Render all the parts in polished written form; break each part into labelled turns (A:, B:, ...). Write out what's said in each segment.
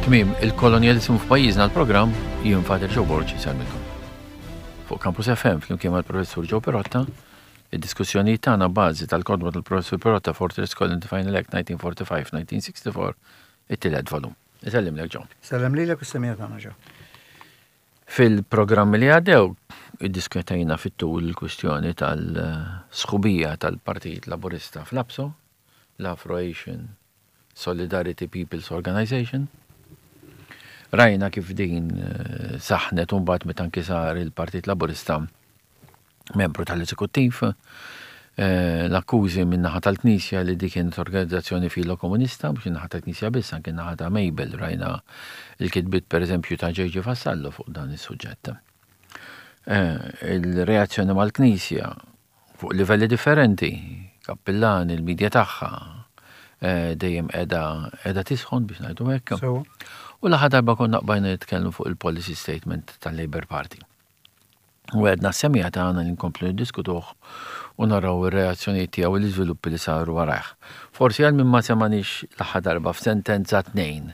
A: Tmiem il-kolonjaliżmu f'pajjiżna l-programm jien Father Joe Borg insellmilkom. Fuq Campus FM flimkien mal-Professur Joe Perotta, id-diskussjonijiet tagħna bażi tal-kotba tal-Professur Perotta Fortress Colony Final Act 1945-1964, it-tielet volum. Isellimlek Joe.
B: Sellem lilek u s-semija tagħna Joe.
A: Fil-programmi li għaddew, iddiskutejna fit-tul il-kwistjoni tal-sħubija tal-Partit Laburista fl-APSO, l-Afro-Asian Solidarity People's Organization. Rajna kif din eh, saħnet u mbagħad meta anki sar il-Partit Laburista membru tal-eżekuttiv, eh, l-akkużi min-naħa tal-Knisja li dik kienet organizzazzjoni filo-komunista, mhux in-naħa tal-Knisja biss, anke n-naħa ta' Mabel, rajna l-kitbiet pereżempju ta' J.J. Vassallo fuq dan is-suġġett. Eh, il-reazzjoni mal-Knisja fuq livelli differenti, kappillani, il-medja tagħha, eh, dejjem qiegħda qiegħda tisħon biex ngħidu hekk. U l-aħħar darba konna qbajna nitkellmu fuq il-policy statement tal-Labour Party. U għedna s-semija tagħna li nkomplu niddiskutuh u naraw ir-reazzjonijiet tiegħu u l-iżviluppi li saru warajh. Forsi għal min ma semanix l-aħħar darba f'sentenza tnejn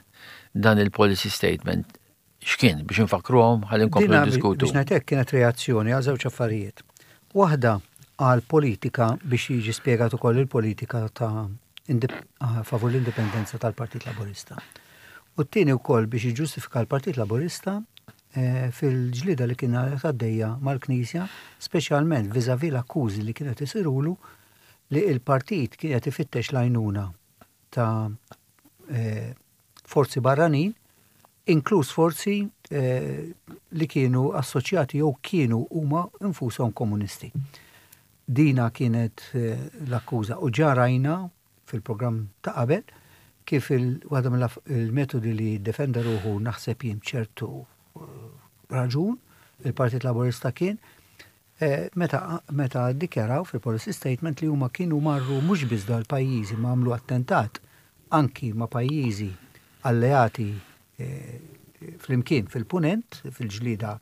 A: dan il-policy statement x'kien biex infakkruhom ħalli nkomplu niddiskutu.
B: Biex ngħid hekk kienet reazzjoni għal żewġ affarijiet. Waħda għal politika biex jiġi spjegat ukoll il-politika ta' favur l-indipendenza tal-Partit Laburista. U t-tieni wkoll biex jiġġustifika l-Partit Laburista eh, fil-ġlieda li kien għaddejja mal-Knisja, speċjalment viżavi l-akkużi li kienet isirulu li il-partit kien qed ifittex l-għajnuna ta' eh, forzi barranin, inkluż forzi eh, li kienu assoċjati jew kienu huma infushom komunisti. Dina kienet eh, l-akkuża u ġarajna fil-programm ta' qabel kif waħda mill-metodi li defenda ruħu naħseb jien ċertu eh, raġun il-Partit Laburista kien eh, meta meta ddikjaraw fil-policy statement li huma kienu marru mhux biss dal-pajjiżi ma għamlu attentat anki ma' pajjiżi alleati eh, flimkien fil-punent, fil-ġlida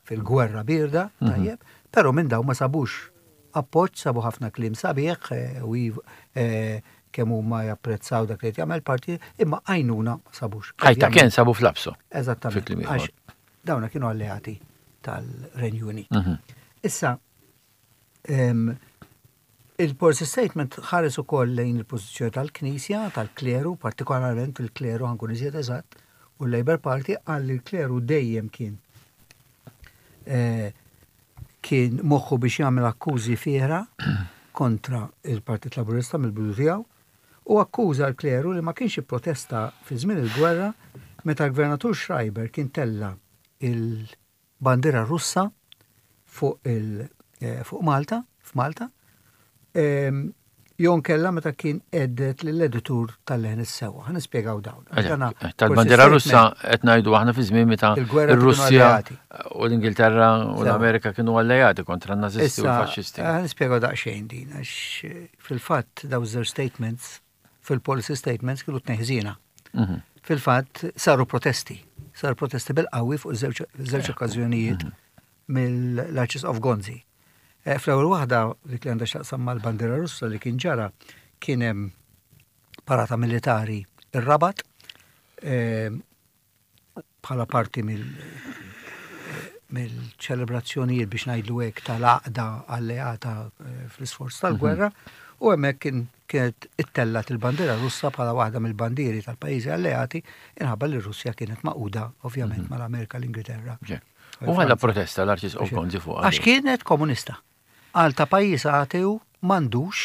B: fil-gwerra birda, mhm. tajjeb, però minn daw ma sabux appoġġ, sabu ħafna kliem sabiħ eh, u eh, kemm huma japprezzaw dak li qed jagħmel parti, imma għajnuna ma sabux.
A: Ħajta kien sabu fl-absu.
B: Eżattament. Għax dawna kienu alleati tal-Renju Unit. Mhm. Issa, il-policy statement ħares ukoll lejn il-pożizzjoni tal-Knisja, tal-kleru, partikolarment il-kleru ħankun iżjed eżatt, u l-Labour Party qal li l-kleru dejjem kien eh, kien moħħu biex jagħmel akkużi fiera kontra il-Partit Laburista mill-bidu tiegħu u akkuża l-kleru li ma kienx ipprotesta fi żmien il-gwerra meta l-Gvernatur Schreiber kien tella il-bandiera Russa fuq il eh, fuq Malta, f'Malta, ehm, jew nkella meta kien għeddet lill-editur tal-Leħen is-Sewwa. Ħa nispjegaw dawn.
A: Eh, tal-bandiera Russa qed ngħidu aħna fi żmien meta ir-Russja u l-Ingilterra u l-Amerika kienu alleati kontra n-Nazisti u l-Faxxisti.
B: Eh, ħa nispjegaw daqsxejn din għax eh, fil-fatt daw żewġ statements fil-policy statements kienu tneħżina. Mhm. Fil-fatt saru protesti, saru protesti bil-qawwi fuq żewġ okkażjonijiet mhm. mill-Arċisqof Gonzi. Eh, fl-ewwel waħda dik li għandha x'taqsam mal-bandiera Russa li kien ġara kien hemm parata militari ir-Rabat eh, bħala parti mill eh, mill-ċelebrazzjonijiet biex ngħidlu hekk tal-għaqda alleata fl-isforz tal-gwerra mhm. u hemmhekk kien kienet ittellat il-bandiera Russa bħala waħda mill-bandieri tal-pajjiżi alleati inħabba li Russja kienet maquda ovvjament mhm. mal-Amerika l-Ingilterra.
A: U għala protesta l-Arċisqof Gonzi fuq.
B: Għax kienet komunista. Għal ta' pajjiż ateu m'għandux,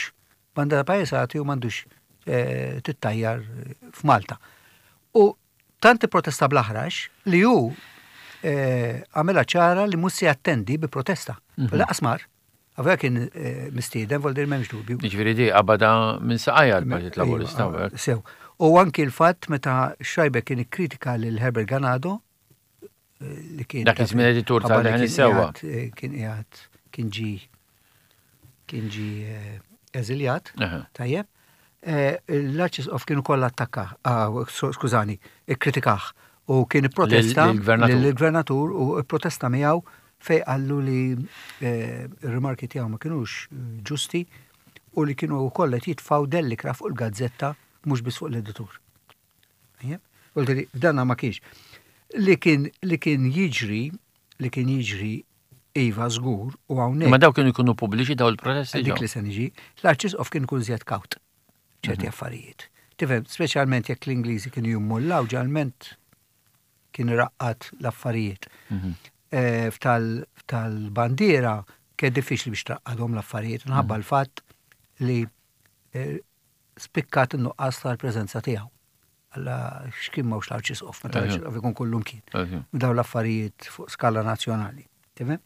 B: bandera pajjiż ateu m'għandux eh, tittajjar f'Malta. U tant protesta bl-aħrax li hu eh, għamela ċara li mhux se jattendi bi protesta. Mhm. Laqas mar. Għavja kien eh, mistieden, vol dir m'hemmx dubju.
A: Jiġifieri di qabada minn saqajja l-Partit Laburista.
B: Sew. U anki l-fatt meta Schreiber kien ikkritika lil Herbert Ganado,
A: li kien. Dak iż-żmien editur tal-Leħen is-Sewwa.
B: Eh, kien qiegħed kien ġi kien ġi eh, eżiljat, tajjeb. Eh, L-Arċisqof kienu kollha attakka, ah, skużani, ikkritikah u kien ipprotesta lill-gvernatur u protesta miegħu fej qallu li r-rimarki tiegħu ma kinux ġusti u li kienu wkoll qed jitfgħu dellikra fuq il-gazzetta mhux biss fuq l-editur. Vuol F'danna ma kienx. Li kien li kien jiġri, li kien jiġri iva żgur u hawnhekk.
A: Ma daw kienu jkunu pubbliċi daw il-protesti.
B: Dik li se niġi, l-Arċisqof kien ikun żjed kawt ċerti mhm. affarijiet. Tifhem, speċjalment jekk l-Ingliżi kienu jummullaw ġalment kien iraqqad l-affarijiet. Mhm. Eh, f'tal-bandiera kien diffiċli biex traqqadhom l-affarijiet, nħabba mhm. l-fatt li eh, spikkat in-nuqqas tal-preżenza tiegħu. Alla x'kien m'hawnx l-arċisqof, meta l-arċisqof ikun kullum kien. Daw l-affarijiet fuq skala nazzjonali. Tifhem?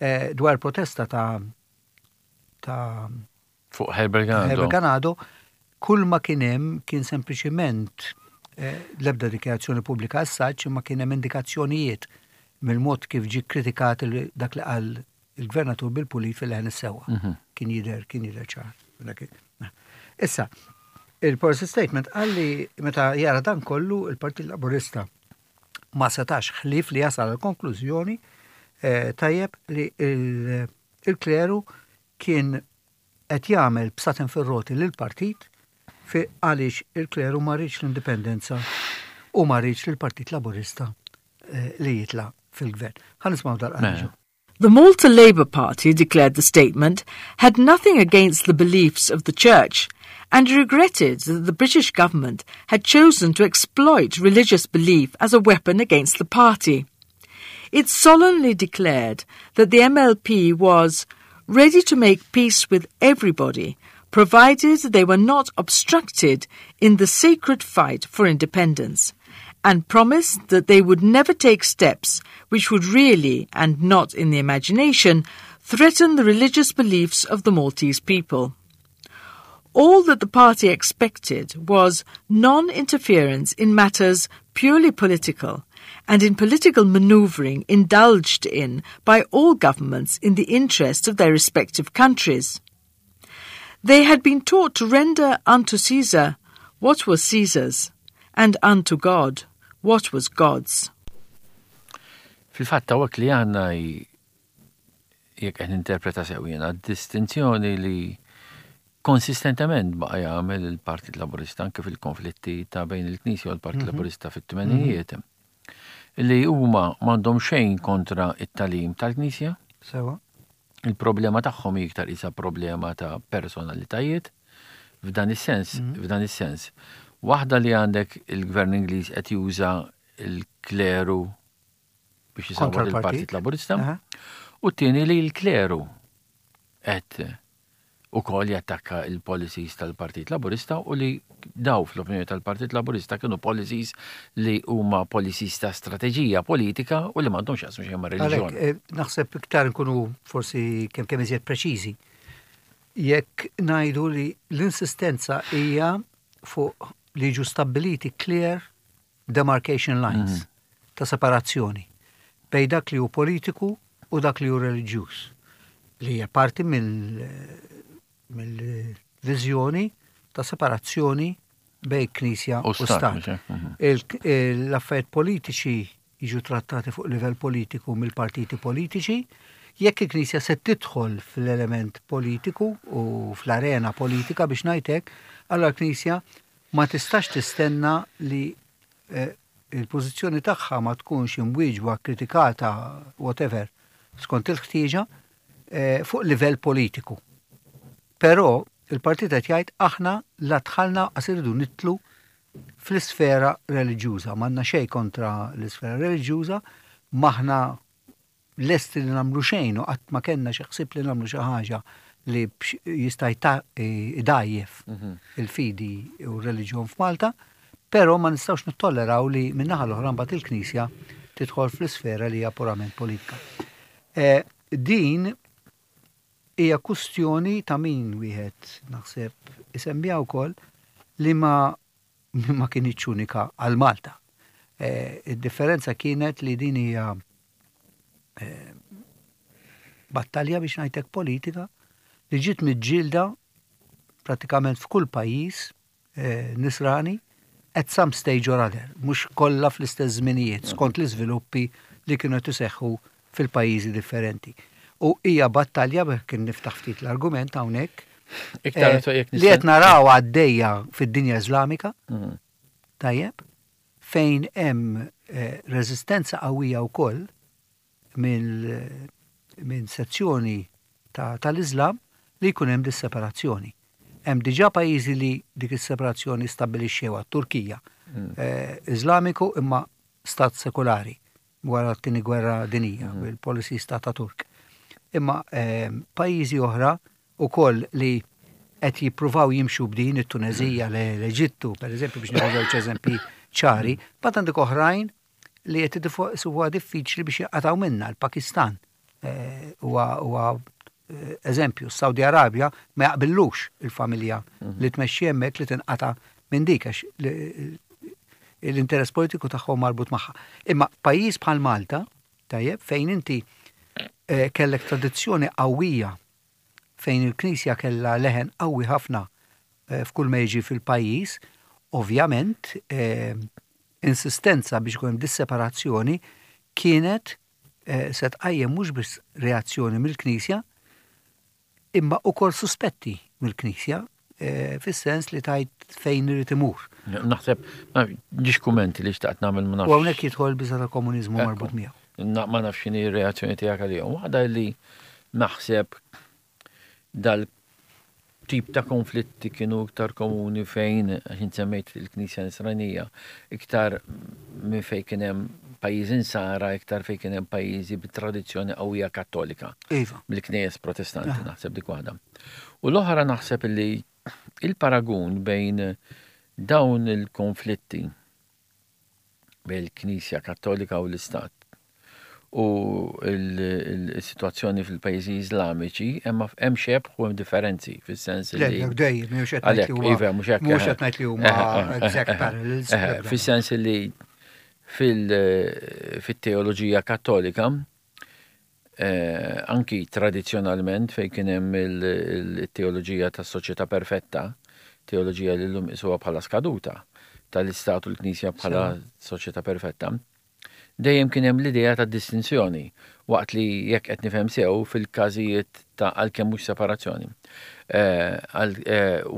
B: Eh, dwar protesta ta' ta'
A: fuq Herbert Ganado.
B: Herbert Ganado, kull ma kien hemm kien sempliċiment eh, l-ebda dikjarazzjoni pubblika as-saċ imma kien hemm indikazzjonijiet mill-mod kif ġie kritikat dak li qal il-gvernatur bil-pulit fil-leħen is-sewwa. Mhm. Kien jidher kien jidher ċar. Issa, il-policy statement qal li meta jara dan kollu il-Partit Laburista ma setax ħlief li jasal għal konklużjoni eh, tajjeb li il-kleru kien qed jagħmel bsaten fir-roti lill-partit fi għaliex il-kleru ma riedx l-indipendenza u ma riedx lill-Partit Laburista eh, li jitla' fil-gvern. Ħa nismgħu dal-qanġu.
C: The Malta Labour Party, declared the statement, had nothing against the beliefs of the Church and regretted that the British government had chosen to exploit religious belief as a weapon against the party. It solemnly declared that the MLP was ready to make peace with everybody, provided they were not obstructed in the sacred fight for independence, and promised that they would never take steps which would really, and not in the imagination, threaten the religious beliefs of the Maltese people. All that the party expected was non interference in matters purely political and in political manoeuvring indulged in by all governments in the interest of their respective countries. They had been taught to render unto Caesar what was Caesar's, and unto God what was God's.
A: Fil-fatt hawnhekk li għandna jekk qed ninterpreta sew jiena distinzjoni li konsistentement baqa' jagħmel il-Partit Laburista anke fil-konflitti ta' bejn il-Knisja u l-Partit mhm. Laburista fit-tmenijiet. Mhm. Li huma m'għandhom xejn kontra it-talim tal-Knisja.
B: Sewa.
A: Il-problema tagħhom hi iktar isa problema ta' personalitajiet. F'dan is-sens, mhm. f'dan is-sens. Waħda li għandek il-Gvern Ingliż qed juża il-kleru biex jisawwar il-Partit Laburista. U t-tieni li l-kleru qed ukoll jattakka il-policies tal-Partit Laburista u li daw fl-opinjoni tal-Partit Laburista kienu policies li huma policies ta' strateġija politika u li m'għandhomx jaqsmu xejn ma' reliġjon.
B: Eh, naħseb iktar nkunu forsi kemm kemm iżjed preċiżi. Jekk ngħidu li l-insistenza hija fuq li jiġu stabbiliti clear demarcation lines mhm. ta' separazzjoni bejn dak li hu politiku u dak li hu reliġjuż li hija parti mill-viżjoni ta' separazzjoni bejn Knisja u Stat. Mhm. L-affarijiet politiċi jiġu trattati fuq livell politiku mill-partiti politiċi, jekk il-Knisja se tidħol fl-element politiku u fl-arena politika biex ngħidlek, allura l-Knisja ma tistax tistenna li eh, il-pożizzjoni tagħha ma tkunx imwieġba, kritikata, whatever, skont il-ħtieġa eh, fuq livell politiku. Però il-partit qed jgħid aħna la dħalna qas irridu nidħlu fl-isfera reliġjuża. M'għandna xejn kontra l-isfera reliġjuża, m'aħna lesti li nagħmlu xejn u qatt ma kellna xi ħsieb li nagħmlu xi ħaġa li jista' jdgħajjef mhm. il-fidi u r-reliġjon f'Malta, però ma nistgħux nittolleraw li min-naħa l-oħra mbagħad il-Knisja tidħol fl-isfera li hija purament politika. Eh, din hija kustjoni ta' min wieħed naħseb isemmija wkoll li ma ma kinitx unika għal Malta. Eh, id-differenza kienet li din hija eh, battalja biex ngħidlek politika li ġiet miġġielda pratikament f'kull pajjiż eh, nisrani at some stage or other, mhux kollha fl-istess żminijiet, skont l-iżviluppi li kienu qed iseħħu fil-pajjiżi differenti. U hija battalja kien niftaħ ftit l-argument hawnhekk eh, li qed naraw għaddejja fid-dinja Iżlamika. Mhm. Tajjeb. fejn hemm reżistenza qawwija wkoll minn sezzjoni tal-Iżlam li jkun hemm dis-separazzjoni. Hemm diġà pajjiżi li dik is-separazzjoni stabbilixxewha, t-Turkija, Iżlamiku imma stat sekulari wara t-Tieni Gwerra Dinjija bil-policies ta' Ataturk. Imma pajjiżi oħra ukoll li qed jippruvaw jimxu b'din it-Tuneżija, l-Eġittu, per eżempju, biex nieħu żewġ eżempji ċari, mbagħad għandek oħrajn li qed isibuha diffiċli biex jinqatgħu minnha, l-Pakistan huwa eżempju, s-Saudi Arabja ma jaqbillux il-familja li tmexxi hemmhekk li tinqata' minn dik għax l-interess politiku tagħhom marbut magħha. Imma pajjiż bħal Malta, tajjeb, fejn inti kellek tradizzjoni qawwija fejn il-Knisja kellha leħen qawwi ħafna f'kull ma jiġi fil-pajjiż, ovvjament insistenza biex ikun hemm dis-separazzjoni kienet se tqajjem mhux biss reazzjoni mill-Knisja, imma ukoll suspetti mill-Knisja fis-sens li tajt fejn irid imur.
A: Naħseb, ġiex kummenti li xtaqt nagħmel ma nafx.
B: U hawnhekk jidħol biża' ta' komuniżmu marbut miegħu.
A: Ma nafx x'inhi r-reazzjoni tiegħek għalihom. Waħda li naħseb dal-tip ta' konflitti kienu iktar komuni fejn, għax int semmejt il-Knisja Nisranija, iktar minn fejn kien hemm pajjiżi Nsara, iktar fejn kien hemm pajjiżi bi tradizzjoni qawwija Kattolika.
B: Iva.
A: Mill-knejjes Protestanti, naħseb dik waħda. U l-oħra naħseb li il-paragun bejn dawn il-konflitti bejn il-Knisja Kattolika u l-Istat u l-sitwazzjoni fil-pajjiżi Iżlamiċi hemm xebh u hemm differenzi fis-sens li.
B: Le, dejjem, mhux qed ngħid li huma.
A: Iva, mhux hekk.
B: Mhux qed ngħid li huma exact parallels.
A: Fis-sens li fil-teoloġija Kattolika anki tradizzjonalment fejn kien hemm il-teoloġija tas-soċjetà perfetta, teoloġija li llum isuha bħala skaduta, tal-Istat u l-Knisja bħala soċjetà perfetta, dejjem kien hemm l-idea ta' distinzjoni, waqt li jekk qed nifhem sew fil-każijiet ta' għalkemm mhux separazzjoni.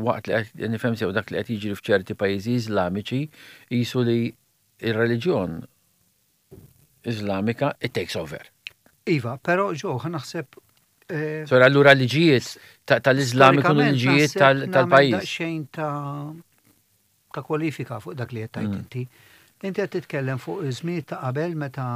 A: Waqt li qed nifhem sew dak li qed jiġri f'ċerti pajjiżi Iżlamiċi qisu li r-reliġjon Iżlamika it takes over.
B: Iva, però ġo, naħseb.
A: Eh, Sora allura liġijiet tal-Iżlam ikunu liġijiet tal-pajjiż.
B: Xejn ta' ta' kwalifika fuq dak li qed tgħid mm. inti. Inti qed titkellem fuq iż-żmien ta' qabel meta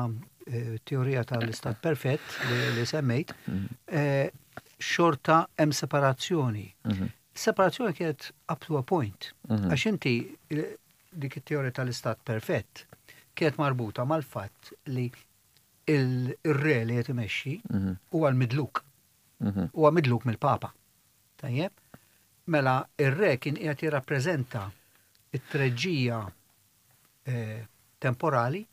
B: eh, teorija tal-istat perfett li semmejt, mm. eh, xorta hemm separazzjoni. Mm-hmm. Separazzjoni kienet up to a point. Mm-hmm. Għax inti dik it-teorija tal-istat perfett kienet marbuta mal-fatt li il-re li qed imexxi mhm. huwa l-midluk. Mhm. Huwa midluk mill-Papa. Tajjeb? Mela ir-re kien qiegħed jirrappreżenta it-treġġija eh, temporali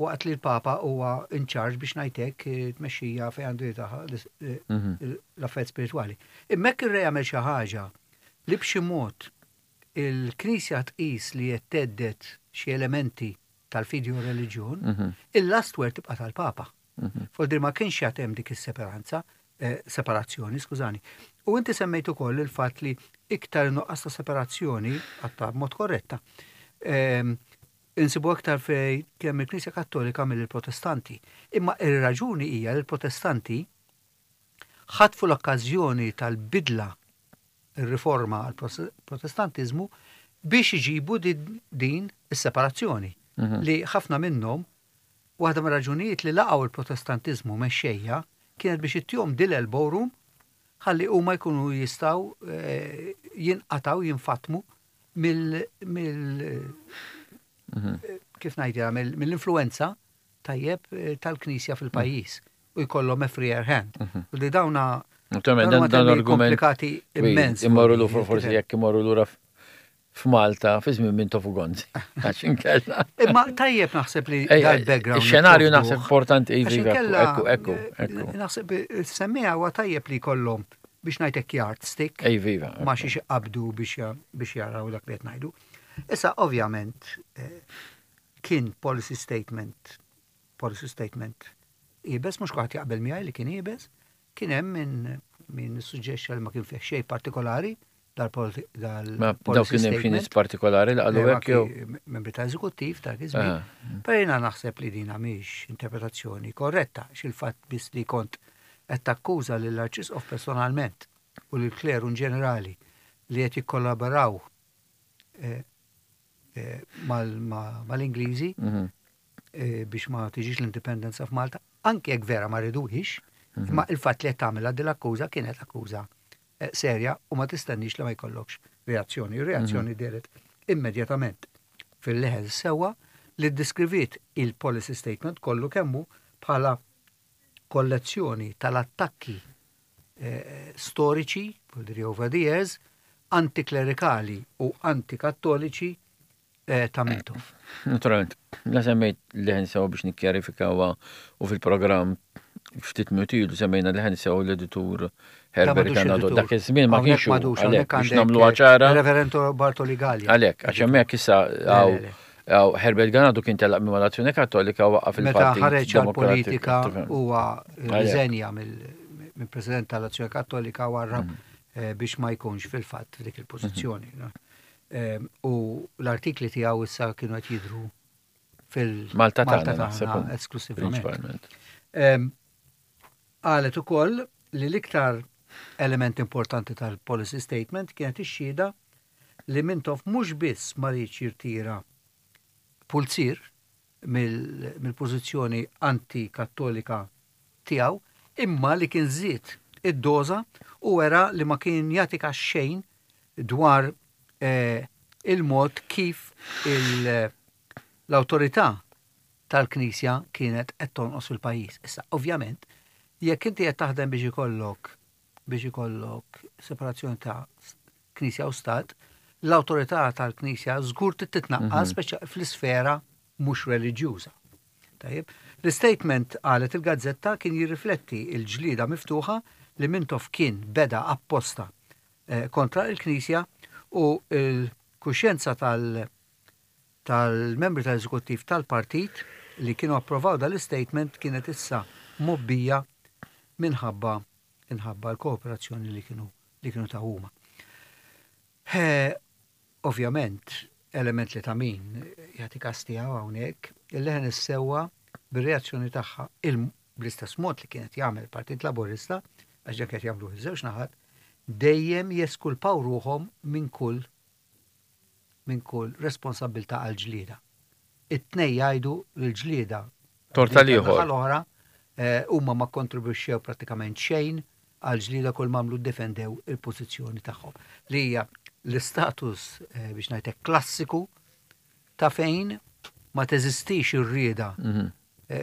B: waqt li l-Papa huwa in charge biex ngħidlek eh, tmexxija fejn għandu jitaħ eh, mhm. l-affarijiet spiritwali. Imma hekk ir-re jagħmel xi ħaġa li b'xi mod il-Knisja tqis li qed thedded xi elementi tal-fidi u r-reliġjon, il-last word tibqa' tal-Papa. Vuol ma kienx jagħti hemm dik is-separanza, eh, separazzjoni, skużani. U inti semmejt ukoll il-fatt li iktar nuqqas ta' separazzjoni, għatta b'mod korretta, ehm, insibu aktar fej kemm il-Knisja Kattolika mill-Protestanti. Imma ir-raġuni hija li l-Protestanti ħatfu l-okkażjoni tal-bidla ir-riforma għall-Protestantiżmu biex iġibu din is-separazzjoni mhm. li ħafna minnhom waħda mir-raġunijiet li laqgħu il-Protestantiżmu mexxejja kienet biex ittihom dil elbow room ħalli huma jkunu jistgħu eh, jinqataw jinfatmu mill mhm. kif ngħidilha mill-influenza tajjeb eh, tal-Knisja fil-pajjiż u jkollhom a freer hand. Mhm. U li dawna
A: dan argument
B: komplikati immens.
A: Imorru l forsi jekk imorru lura f'Malta fi żmien minn Tofu Gonzi. Għax inkella.
B: Imma tajjeb naħseb li dal-background.
A: Ix-xenarju naħseb importanti iva, iva, ekku, ekku, ekku.
B: Naħseb semmija huwa tajjeb li jkollhom biex ngħidlek yardstick.
A: Iva, iva.
B: Ma xi qabdu biex jaraw dak li qed ngħidu. Issa ovvjament eh, kien policy statement policy statement iebes, mhux kulħadd jaqbel miegħi li kien iebes, kien hemm min min suġġexxa li ma kien fih xejn partikolari. dal-policy
A: Ma dawk kien hemm xi nies partikolari li qalu hekk jew?
B: Membri ta' eżekuttiv ta' iż-żmien. Però jiena naħseb li dina mhix interpretazzjoni korretta x'il-fatt biss li kont qed takkuża lill-Arċisqof personalment u lill-kleru in ġenerali li qed jikkollaboraw mal-Ingliżi biex ma tiġix l-indipendenza f'Malta, anke jekk vera ma riduhiex, imma il-fatt li qed tagħmilha din l-akkuża kienet akkuża serja u ma tistennix li ma jkollokx reazzjoni. Reazzjoni dehret immedjatament fil-Leħen Sewwa li ddeskriviet il-policy statement kollu kemm hu bħala kollezzjoni tal-attakki storiċi, vuol dire over the years, antiklerikali u antikattoliċi ta' Mintoff.
A: Naturalment, la semmejt Leħen Sewwa biex nikkjarifikawha u fil-programm ftit minuti ilu semmejna Leħen Sewwa l-editur Herbert Ganado. Dak iż-żmien ma kienx għalhekk biex nagħmluha ċara.
B: Reverend Bartoli Gallia.
A: Għalhekk, għax hemmhekk issa Herbert Ganado kien telaq minn mal-Azzjoni Kattolika waqqaf il-Partit.
B: Meta ħareġ għall-politika huwa rriżenja mill-President tal-Azzjoni Kattolika warrab biex ma jkunx fil-fatt f'dik il-pożizzjoni. U l-artikli tiegħu issa kienu qed jidhru
A: fil-Malta tagħna
B: esklusivament. Qalet ukoll li l-iktar element importanti tal-policy statement kienet ix-xhieda li Mintoff mhux biss ma riedx jirtira pulzier mill-pożizzjoni anti-Kattolika tiegħu imma li kien żied id-doża u wera li ma kien jagħti kas xejn dwar il-mod kif l-awtorità tal-Knisja kienet qed tonqos fil-pajjiż. Issa, ovvjament, jekk inti qed taħdem biex ikollok biex ikollok separazzjoni ta' Knisja u Stat, l-awtorità tal-Knisja żgur trid titnaqqas speċa fl-isfera mhux reliġjuża. Tajjeb, l-istatement qalet il-gazzetta kien jirrifletti l-ġlieda miftuħa li Mintoff kien beda apposta kontra l-Knisja u l-kuxjenza tal- tal-membri tal-eżekuttiv tal-partit li kienu approvaw dal-istatement kienet issa mgħobbija minħabba minħabba l-kooperazzjoni li kienu li kienu taw huma. Ovvjament, element li ta' min jagħti kas tiegħu hawnhekk, il-Leħen is-Sewwa bir-reazzjoni tagħha bl-istess mod li kienet jagħmel il-Partit Laburista, għax dak qed jagħmluh iż-żewġ naħat, dejjem jeskulpaw ruħhom minn kull minn kull responsabbiltà għall-ġlieda. It-tnejn jgħidu li l-ġlieda
A: Tort tal-ieħor.
B: l-oħra huma ma kkontribwixxew prattikament xejn għall-ġlieda kull m'għamlu ddefendew il-pożizzjoni tagħhom li hija l-istatus biex ngħid hekk klassiku ta' fejn ma teżistix ir-rieda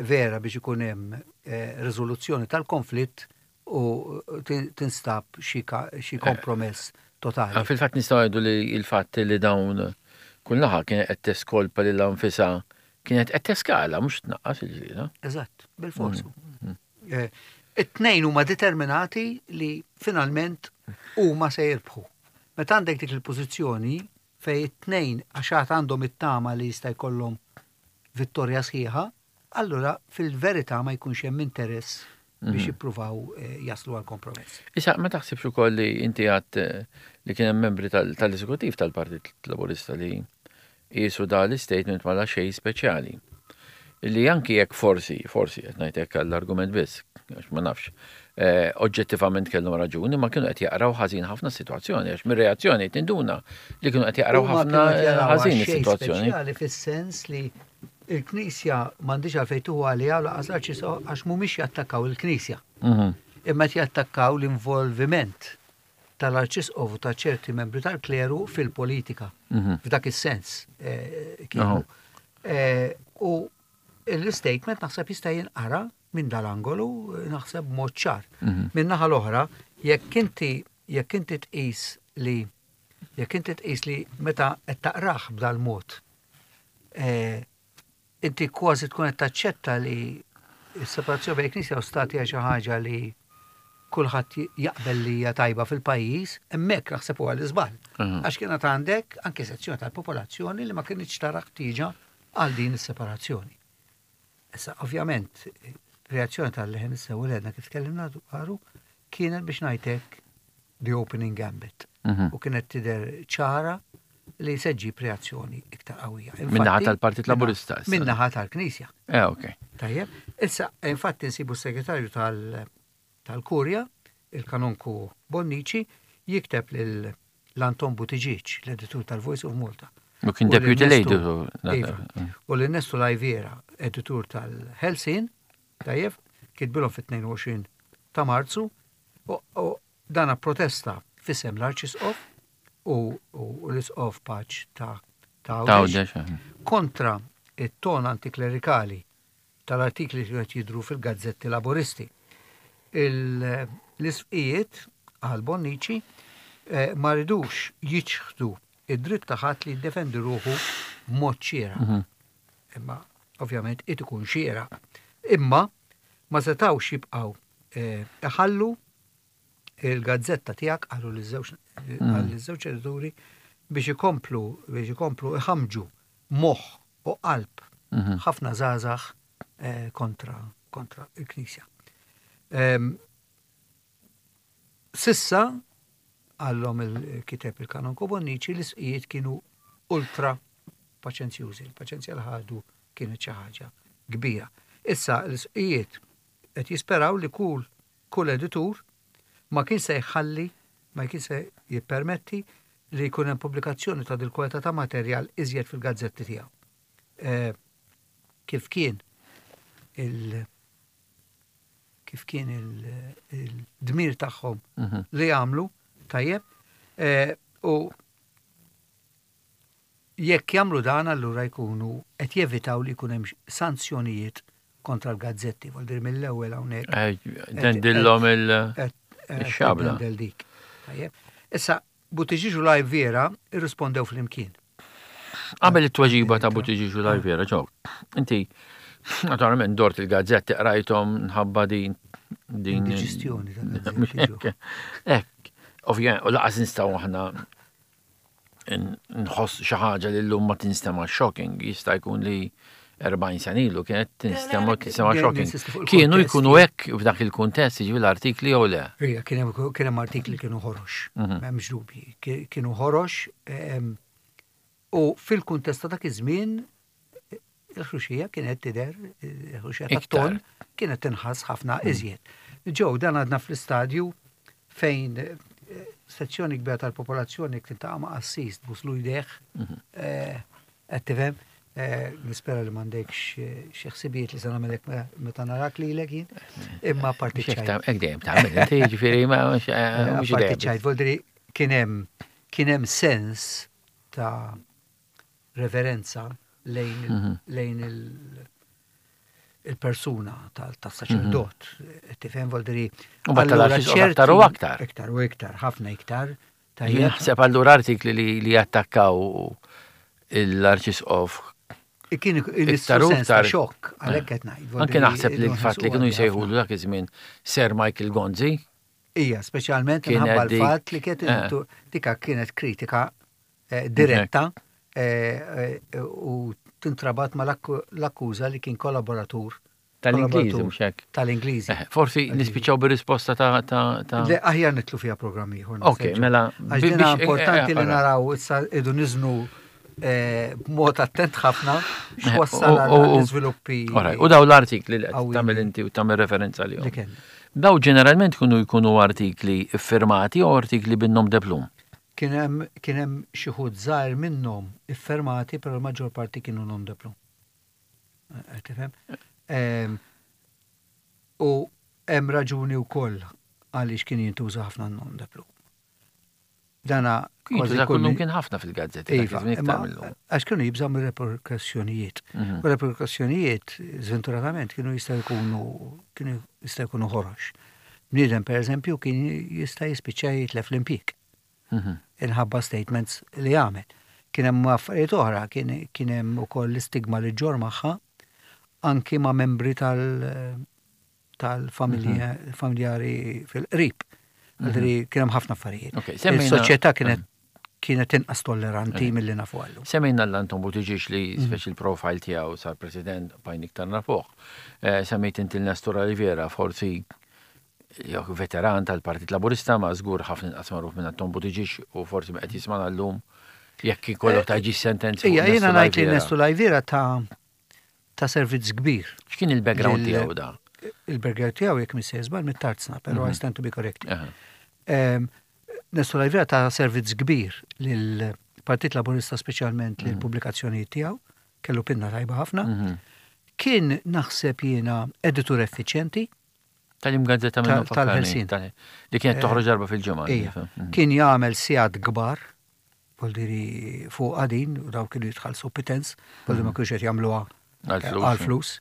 B: vera biex ikun hemm riżoluzzjoni tal-konflitt u tinstab xi kompromess totali.
A: Ah, fil-fatt nistgħu ngħidu li l-fatt li dawn kull naħa kienet qed teskolpa lilha nfisha kienet qed teskala mhux tnaqqas il-ġlieda.
B: Eżatt, bil-forsu. It-tnejn huma determinati li finalment huma se jirbħu. Meta għandek dik il-pożizzjoni fejn it-tnejn għax għad għandhom it-tama li jista' jkollhom vittorja sħiħa, allura fil-verità ma jkunx hemm interess biex jippruvaw jaslu għal kompromess.
A: Issa, ma taħsibx ukoll li inti għadt li kien hemm membri tal-eżekutiv tal-Partit Laburista li qiesu da l-istatement bħala xejn speċjali. Li anki jekk forsi, forsi qed ngħid hekk għall-argument biss, għax ma nafx, oġġettivament kellhom raġuni, ma kienu qed jaqraw ħażin ħafna s-sitwazzjoni, għax mir-reazzjoni tinduna li kienu qed jaqraw ħafna ħażin is-sitwazzjoni.
B: Speċjali fis-sens li Il-Knisja m'għandhiex għalfejn tieħu għaliha u lanqas l-Arċisqof għax mhumiex jattakkaw il-Knisja. Imma qed jattakkaw l-involviment tal-Arċisqof u ta' ċerti membri tal-kleru fil-politika. F'dak is-sens kienu. U l-istatement naħseb jista' jinqara minn dal-angolu naħseb b'mod ċar. Min-naħa l-oħra, jekk inti jekk inti tqis li jekk inti tqis li meta qed taqrah b'dal-mod Inti kważi tkun qed taċċetta li s-separazzjoni bejn Knisja u Stat hija xi ħaġa li kulħadd jaqbel li hija tajba fil-pajjiż, hemmhekk naħseb huwa l-iżball. Għax kienet għandek anke sezzjoni tal-popolazzjoni li ma kinitx tara ħtieġa għal din is-separazzjoni. Issa, ovvjament, reazzjoni tal-Leħen is-Sewwa li għedna kif tkellimna dwaru kienet biex ngħidlek the opening gambit. U kienet tidher ċara li se ġġib reazzjoni iktar qawwija.
A: Min-naħa tal-Partit Laburista.
B: Min-naħa tal-Knisja.
A: Eh, ok.
B: Tajjeb, issa infatti nsibu s-segretarju tal-Kurja, il-Kanonku Bonnici, jikteb lil l-Anton Buttigieg, l-editur tal-Voice of Malta.
A: U kien deputy l-editur.
B: Iva. U l-Nestu Lajviera, editur tal-Helsin, tajjeb, kitbilhom fit-22 ta' Marzu, u dana protesta f'isem l-Arċisqof u l-Isqof Paċ ta' Għawdex eh. kontra it-ton antiklerikali tal-artikli li qed jidhru fil-gazzetti Laburisti. L-isqfijiet, qal Bonnici, eh, ma ridux jiċħdu id-dritt ta' ħadd li jiddefendi ruħu b'mod xieraq. Mhm. Imma ovvjament it ikun xieraq. Imma ma setgħux jibqgħu eh, iħallu il-gazzetta tiegħek qalu liż-żewġ edituri biex ikomplu biex ikomplu iħammġu moħħ u qalb mhm. ħafna żgħażagħ eh, kontra kontra il-Knisja. Ehm, sissa għallhom il-kiteb il-Kanonku Bonnici l-isqijiet kienu ultra paċenzjużi. Il-paċenzja li ħadu kienet xi ħaġa kbira. Issa l-isqijiet qed jisperaw li kull Kull editur ma kien se jħalli, ma kien se jippermetti li jkun hemm pubblikazzjoni ta' dil-kwalità ta' materjal iżjed fil-gazzetti tiegħu. Eh, kif kien il kif kien il-dmir tagħhom mhm. li jagħmlu tajjeb eh, u jekk jagħmlu dan allura jkunu qed jevitaw li jkun hemm sanzjonijiet kontra l-gazzetti, vol dir mill-ewwel hawnhekk.
A: Eh, dendillhom il-xabla.
B: Dik. Issa, Buttigieg u Lajviera irrispondew flimkien.
A: Qabel it-tweġiba ta' Buttigieg u Lajviera, ġew. Inti, naturalment dort il-gazzetti qrajthom nħabba din
B: din. Diġestjoni
A: ta' Ek, ovvjament, u laqas nistgħu aħna nħoss xi ħaġa li llum ma tinstema' shocking, jista' jkun li 40 sena ilu kienet tinstema' tinstema' shocking. Kienu jkunu hekk f'dak il-kuntest jiġri l-artikli jew le?
B: Ija, kien hemm artikli kienu ħorox, mhm. m'hemmx dubji. Kienu ħorox u fil-kuntest ta' dak iż-żmien Il-ħruxija kienet tidher, il-ħruxija tat-ton kienet tinħass ħafna mm. iżjed. Ġew dan għadna fl-istadju fejn eh, sezzjoni kbira tal-popolazzjoni kien ta' ma' qassis tbuslu jdejh, mhm. eh, qed tifhem, eh, nispera li m'għandekx xi ħsibijiet li se nagħmelek meta narak lilek jien, imma parti
A: ċajt. Hekk dejjem tagħmel, inti jiġifieri ma
B: mhux parti ċajt, voldri kien hemm kien hemm sens ta' reverenza lejn mhm. lejn il-persuna tas-saċerdot. Mhm. Tifhem voldiri.
A: U allura aktar u aktar.
B: Iktar u iktar, ħafna iktar.
A: Naħseb allura artikli li jattakkaw l-arċisqof
B: Kien iktar u iktar xokk, għalhekk qed ngħid.
A: Anke naħseb li l-fatt li kienu jsejħulu dak iż-żmien Sir Michael Gonzi.
B: Ija, speċjalment minħabba l-fatt li kienet eh. dika kienet kritika Eh, diretta eh, eh, u tintrabat ma l-akkuża li kien kollaboratur
A: Tal-Ingliżi, mhux hekk.
B: Tal-Ingliżi.
A: Forsi nispiċċaw bir-risposta ta' ta'
B: Le, aħjar nitlu fiha programm ieħor.
A: Ok, mela.
B: Għax dina importanti li naraw issa idu niżnu b'mod attent ħafna x'wassal għall-iżviluppi.
A: U daw l-artikli li qed tagħmel inti u tagħmel referenza li. Daw ġeneralment kienu jkunu artikli iffirmati u artikli bin-nom de plum.
B: Kien hemm kien hemm xi wħud żgħir minnhom iffermati però l-maġġor parti kienu nom de plume. Qed tifhem? Ehm, u hemm raġuni wkoll għaliex kien jintuża ħafna n-nom de plume. Dana
A: kważi kull kien ħafna fil-gazzetti.
B: Iva, għax kienu jibżgħu mir-reperkussjonijiet. Mhm. U reperkussjonijiet, żventuratament, kienu jistgħu jkunu kienu jistgħu jkunu ħorox. Bniedem pereżempju kien jista' jispiċċa jitlef l-impjieg. Mhm. Inħabba statements li għamel. Kien hemm affarijiet oħra, kien hemm ukoll l-istigma li ġġorr magħha anki ma' membri tal tal-familjari mhm. fil-qrib. Mhm. Kien hemm ħafna affarijiet. Il-soċjetà kienet mhm. kienet inqas tolleranti eh. milli nafu għallu.
A: Semmejna l-Anton Buttigieg li mm. speċi l-profile tiegħu sar president bajn iktar nafuh. Eh, semmejt inti l-Nestor Oliviera, forsi Jew veteran tal-Partit Laburista ma żgur ħafna inqas magħruf minn Anton Buttigieg u forsi qed jismana llum jekk ikollok ta' ġi sentenzi.
B: Ija, jiena ngħid li Nestu Lajvira ta' ta' servizz kbir.
A: X'kien il-background tiegħu da?
B: Il-background tiegħu jekk mhix żball mit-tarzna, però I stand to be corrected. Nestu Lajvira ta' servizz kbir lill-Partit Laburista speċjalment lill-pubblikazzjonijiet tiegħu, kellu pinna tajba ħafna. Kien naħseb jiena editur effiċjenti.
A: Tal-im gazzetta
B: minnu Tal-Ħelsin.
A: Li kienet eh, toħroġ darba fil-ġimgħa.
B: Mhm. Kien jagħmel sigħat kbar, voldiri fuq għadin, u daw kienu jitħallsu pitens, voldiri ma mhm. kienx qed jagħmluha għal-flus.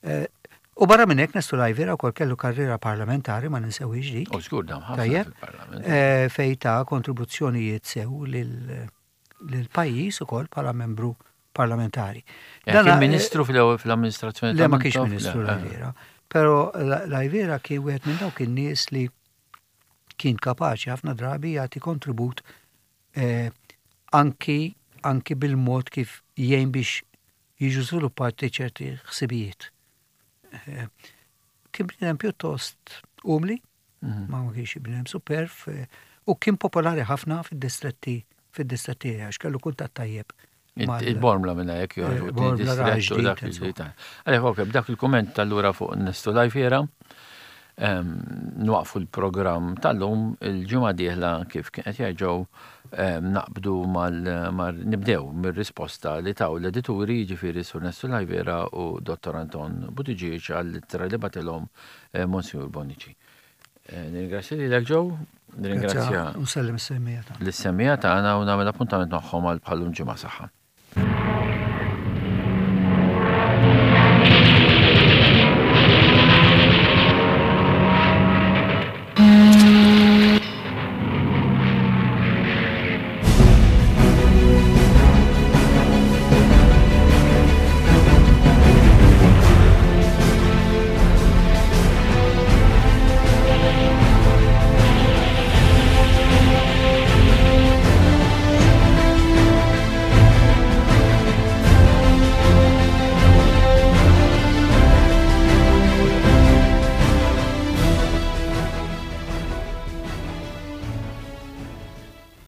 B: Eh, u barra minn hekk Nestu Lajvira wkoll kellu karriera parlamentari ma ninsewix dik.
A: U żgur dam ħafna
B: fil-parlament. Eh, fej ta' kontribuzzjonijiet sew lil lill-pajjiż ukoll bħala membru parlamentari.
A: Eh, kien eh, ministru fl-amministrazzjoni
B: Le ma kienx ministru Lajvera. Però Lajvera kien wieħed minn dawk in-nies li kien kapaċi ħafna drabi jagħti kontribut eh, anki anki bil-mod kif jgħin biex jiġu żviluppati ċerti ħsibijiet. Kien bniedem pjuttost umli, mhm. ma kienx bniedem superf, eh, u kien popolari ħafna fid-distretti fid-distretti għax kellu kuntatt tajjeb.
A: Il-bormla minna jek joħorġu.
B: Eh, bormla
A: Għalek, ok, b'dak il-komment tal-lura fuq Nestu Lajfiera, ehm, nwaqfu l-program tal-lum il-ġimgħa dieħla kif kien qed jgħid ehm, naqbdu mal nibdew mir-risposta li taw l-edituri jiġifieri Sur Nestu Lajvera u Dottor Anton Buttigieg għall-ittra li batilhom eh, Monsignor Bonnici. Eh, nirringrazzja lilek Joe, nirringrazzja
B: Nsellem is-semmija
A: tagħna. Lis-semmija tagħna u nagħmel appuntament magħhom għal bħalum ġimgħa saħħa.